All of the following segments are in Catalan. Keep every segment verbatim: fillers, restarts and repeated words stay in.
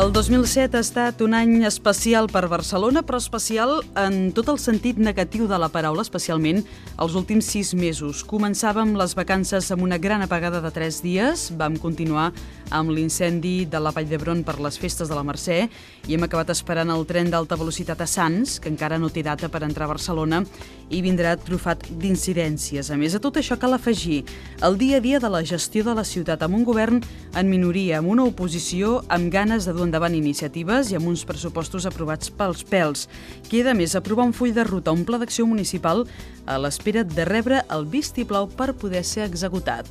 El dos mil set ha estat un any especial per Barcelona, però especial en tot el sentit negatiu de la paraula, especialment els últims sis mesos. Començàvem les vacances amb una gran apagada de tres dies, vam continuar amb l'incendi de la Vall d'Hebron per les festes de la Mercè i hem acabat esperant el tren d'alta velocitat a Sants, que encara no té data per entrar a Barcelona, i vindrà trufat d'incidències. A més, a tot això cal afegir el dia a dia de la gestió de la ciutat amb un govern en minoria, amb una oposició amb ganes de dur endavant iniciatives i amb uns pressupostos aprovats pels pèls. Queda més aprovar un full de ruta, un pla d'acció municipal a l'espera de rebre el vistiplau per poder ser executat.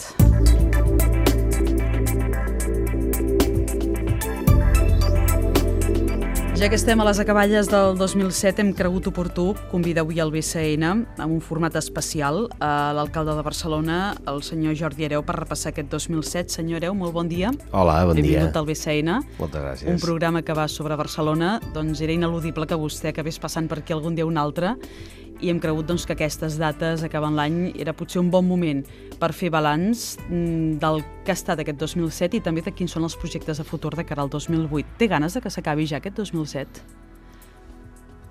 Ja que estem a les acaballes del dos mil set, hem cregut oportú convidar avui al B C N amb un format especial a l'alcalde de Barcelona, el senyor Jordi Hereu, per repassar aquest dos mil set. Senyor Hereu, molt bon dia. Hola, bon dia. Benvingut al B C N. Moltes gràcies. Un programa que va sobre Barcelona, doncs era ineludible que vostè acabés passant per aquí algun dia o un altre, i hem cregut doncs, que aquestes dates, acabant l'any, era potser un bon moment per fer balanç del que ha estat aquest dos mil set i també de quins són els projectes a futur de cara al dos mil vuit. Té ganes de que s'acabi ja aquest dos mil set?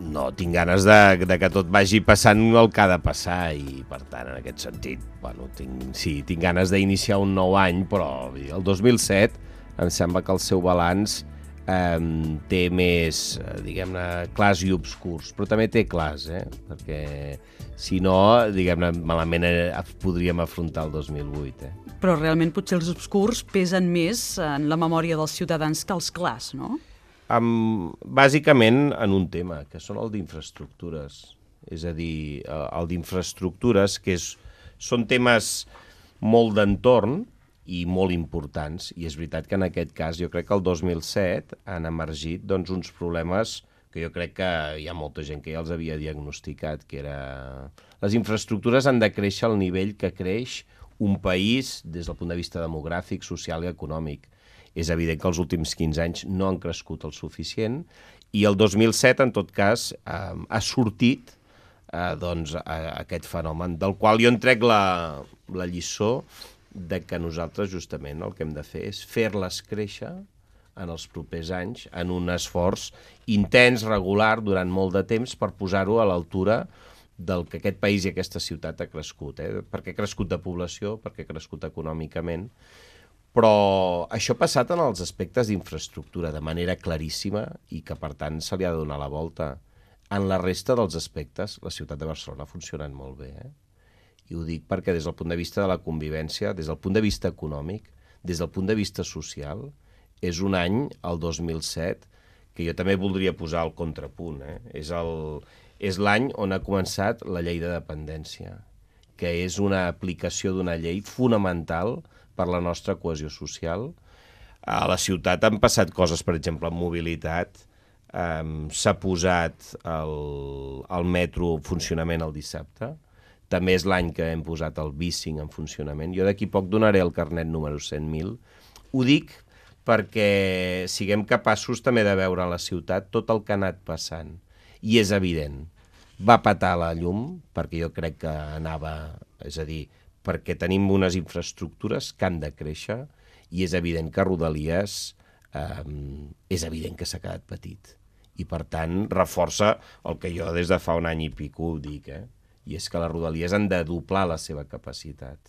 No, tinc ganes de, de que tot vagi passant el que ha de passar i, per tant, en aquest sentit, bueno, tinc, sí, tinc ganes d'iniciar un nou any, però el dos mil set em sembla que el seu balanç eh, té més, diguem-ne, clars i obscurs, però també té clars, eh? Perquè si no, diguem-ne, malament podríem afrontar el dos mil vuit. Eh? Però realment potser els obscurs pesen més en la memòria dels ciutadans que els clars, no? Um, bàsicament en un tema, que són el d'infraestructures. És a dir, el d'infraestructures, que és, són temes molt d'entorn i molt importants, i és veritat que en aquest cas jo crec que el dos mil set han emergit doncs, uns problemes que jo crec que hi ha molta gent que ja els havia diagnosticat, que era... Les infraestructures han de créixer al nivell que creix un país des del punt de vista demogràfic, social i econòmic. És evident que els últims quinze anys no han crescut el suficient i el dos mil set, en tot cas, eh, ha sortit eh, doncs, a, a aquest fenomen, del qual jo en trec la, la lliçó de que nosaltres justament el que hem de fer és fer-les créixer en els propers anys en un esforç intens, regular, durant molt de temps per posar-ho a l'altura del que aquest país i aquesta ciutat ha crescut, eh? Perquè ha crescut de població, perquè ha crescut econòmicament, però això ha passat en els aspectes d'infraestructura de manera claríssima i que, per tant, se li ha de donar la volta. En la resta dels aspectes, la ciutat de Barcelona ha funcionat molt bé. Eh? I ho dic perquè des del punt de vista de la convivència, des del punt de vista econòmic, des del punt de vista social, és un any, el dos mil set, que jo també voldria posar el contrapunt. Eh? És el, és l'any on ha començat la llei de dependència, que és una aplicació d'una llei fonamental per la nostra cohesió social. A la ciutat han passat coses, per exemple, en mobilitat. Um, s'ha posat el, el metro en funcionament el dissabte. També és l'any que hem posat el bicing en funcionament. Jo d'aquí poc donaré el carnet número cent mil. Ho dic perquè siguem capaços també de veure a la ciutat tot el que ha anat passant. I és evident. Va petar la llum, perquè jo crec que anava... És a dir, perquè tenim unes infraestructures que han de créixer i és evident que Rodalies eh, és evident que s'ha quedat petit. I, per tant, reforça el que jo des de fa un any i pico dic, eh? I és que les Rodalies han de doblar la seva capacitat.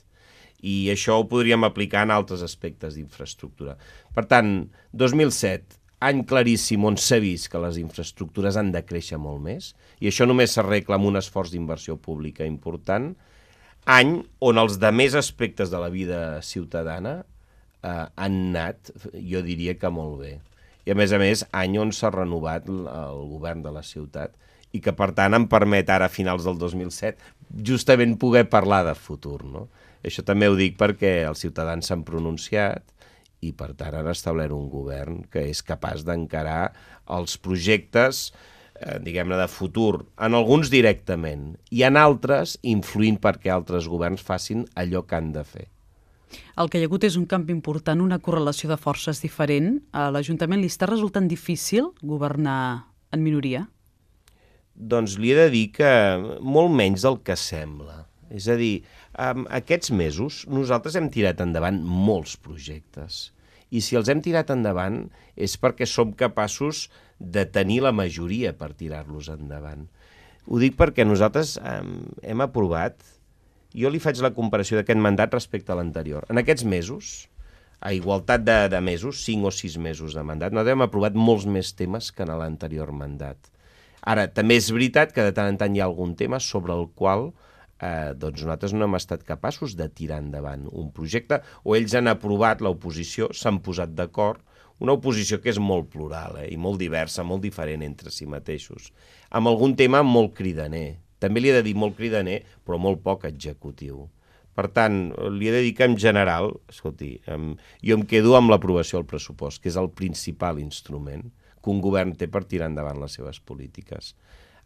I això ho podríem aplicar en altres aspectes d'infraestructura. Per tant, dos mil set, any claríssim on s'ha vist que les infraestructures han de créixer molt més, i això només s'arregla amb un esforç d'inversió pública important. Any on els demés aspectes de la vida ciutadana eh, han anat, jo diria que molt bé. I a més a més, any on s'ha renovat el govern de la ciutat i que per tant em permet ara a finals del dos mil set justament poder parlar de futur. No? Això també ho dic perquè els ciutadans s'han pronunciat i per tant han establert un govern que és capaç d'encarar els projectes diguem-ne, de futur, en alguns directament, i en altres influint perquè altres governs facin allò que han de fer. El que hi ha hagut és un canvi important, una correlació de forces diferent. A l'Ajuntament li està resultant difícil governar en minoria? Doncs li he de dir que molt menys del que sembla. És a dir, aquests mesos nosaltres hem tirat endavant molts projectes I si els hem tirat endavant és perquè som capaços de tenir la majoria per tirar-los endavant. Ho dic perquè nosaltres eh, hem aprovat, jo li faig la comparació d'aquest mandat respecte a l'anterior. En aquests mesos, a igualtat de, de mesos, cinc o sis mesos de mandat, nosaltres hem aprovat molts més temes que en l'anterior mandat. Ara, també és veritat que de tant en tant hi ha algun tema sobre el qual eh, doncs nosaltres no hem estat capaços de tirar endavant un projecte, o ells han aprovat, l'oposició, s'han posat d'acord, una oposició que és molt plural eh, i molt diversa, molt diferent entre si mateixos, amb algun tema molt cridaner. També li he de dir molt cridaner, però molt poc executiu. Per tant, li he de dir que en general, escolti, em, jo em quedo amb l'aprovació del pressupost, que és el principal instrument que un govern té per tirar endavant les seves polítiques.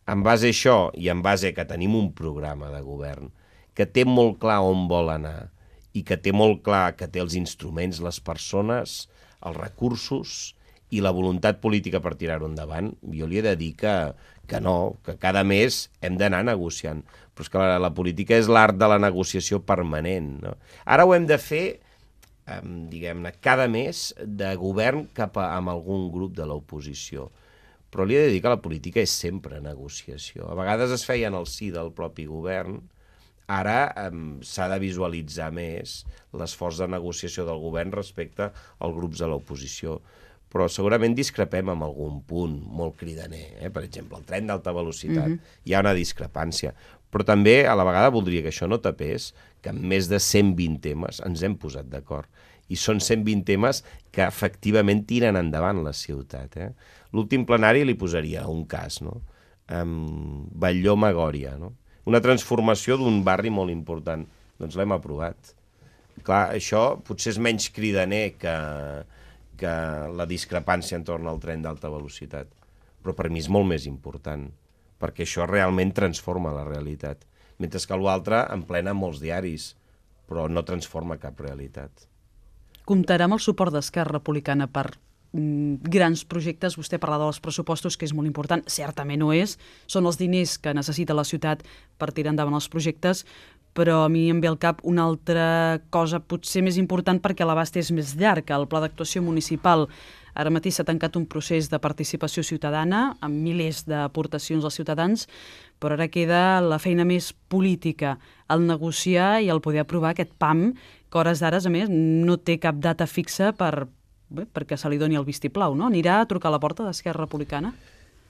En base a això i en base a que tenim un programa de govern que té molt clar on vol anar i que té molt clar que té els instruments, les persones, els recursos i la voluntat política per tirar-ho endavant, jo li he de dir que, que no, que cada mes hem d'anar negociant. Però és que la, la política és l'art de la negociació permanent, no? Ara ho hem de fer, eh, diguem-ne, cada mes de govern cap a amb algun grup de l'oposició. Però li he de dir que la política és sempre negociació. A vegades es feia en el si del propi govern, ara eh, s'ha de visualitzar més l'esforç de negociació del govern respecte als grups de l'oposició. Però segurament discrepem amb algun punt molt cridaner. Eh? Per exemple, el tren d'alta velocitat. Mm-hmm. Hi ha una discrepància. Però també a la vegada voldria que això no tapés que en més de cent vint temes ens hem posat d'acord. I són cent vint temes que efectivament tiren endavant la ciutat. Eh? L'últim plenari li posaria un cas, no? Um, Batlló-Magòria, no? Una transformació d'un barri molt important. Doncs l'hem aprovat. Clar, això potser és menys cridaner que, que la discrepància entorn al tren d'alta velocitat. Però per mi és molt més important, perquè això realment transforma la realitat. Mentre que l'altre emplena molts diaris, però no transforma cap realitat. Comptarà amb el suport d'Esquerra Republicana per mm, grans projectes. Vostè parlava dels pressupostos, que és molt important. Certament ho és. Són els diners que necessita la ciutat per tirar endavant els projectes, però a mi em ve al cap una altra cosa potser més important perquè l'abast és més llarg. El Pla d'Actuació Municipal. Ara mateix s'ha tancat un procés de participació ciutadana amb milers d'aportacions als ciutadans, però ara queda la feina més política, el negociar i el poder aprovar aquest P A M, que a hores d'ara, a més, no té cap data fixa per, bé, perquè se li doni el vistiplau, no? Anirà a trucar a la porta d'Esquerra Republicana?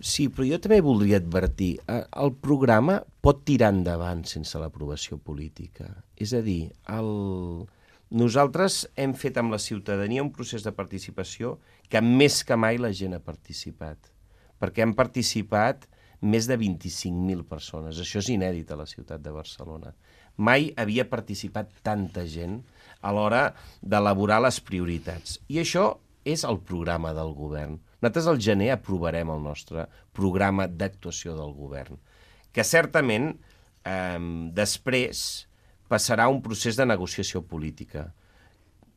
Sí, però jo també voldria advertir, el programa pot tirar endavant sense l'aprovació política. És a dir, el... nosaltres hem fet amb la ciutadania un procés de participació que més que mai la gent ha participat, perquè han participat més de vint-i-cinc mil persones. Això és inèdit a la ciutat de Barcelona. Mai havia participat tanta gent a l'hora d'elaborar les prioritats. I això és el programa del govern. Nosaltres al gener aprovarem el nostre programa d'actuació del govern, que certament eh, després passarà un procés de negociació política,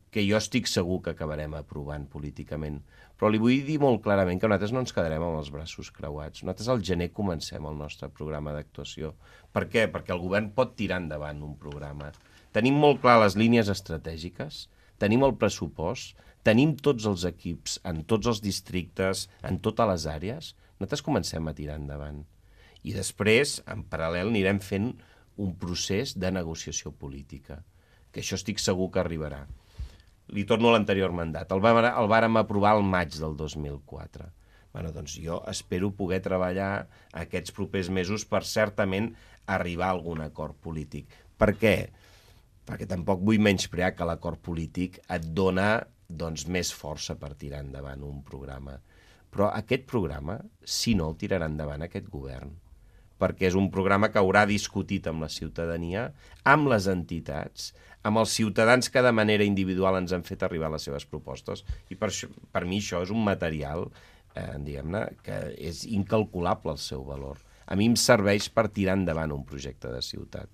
que jo estic segur que acabarem aprovant políticament. Però li vull dir molt clarament que nosaltres no ens quedarem amb els braços creuats. Nosaltres al gener comencem el nostre programa d'actuació. Per què? Perquè el govern pot tirar endavant un programa. Tenim molt clar les línies estratègiques, tenim el pressupost, tenim tots els equips en tots els districtes, en totes les àrees. Nosaltres comencem a tirar endavant. I després, en paral·lel, anirem fent un procés de negociació política, que això estic segur que arribarà. Li torno a l'anterior mandat. El, vam, el vàrem aprovar al maig del dos mil quatre. Bueno, doncs jo espero poder treballar aquests propers mesos per certament arribar a algun acord polític. Per què? Perquè tampoc vull menysprear que l'acord polític et dona doncs, més força per tirar endavant un programa. Però aquest programa, si no, el tirarà endavant aquest govern, perquè és un programa que haurà discutit amb la ciutadania, amb les entitats, amb els ciutadans que de manera individual ens han fet arribar les seves propostes, i per, això, per mi això és un material eh, diguem-ne, que és incalculable el seu valor. A mi em serveix per tirar endavant un projecte de ciutat.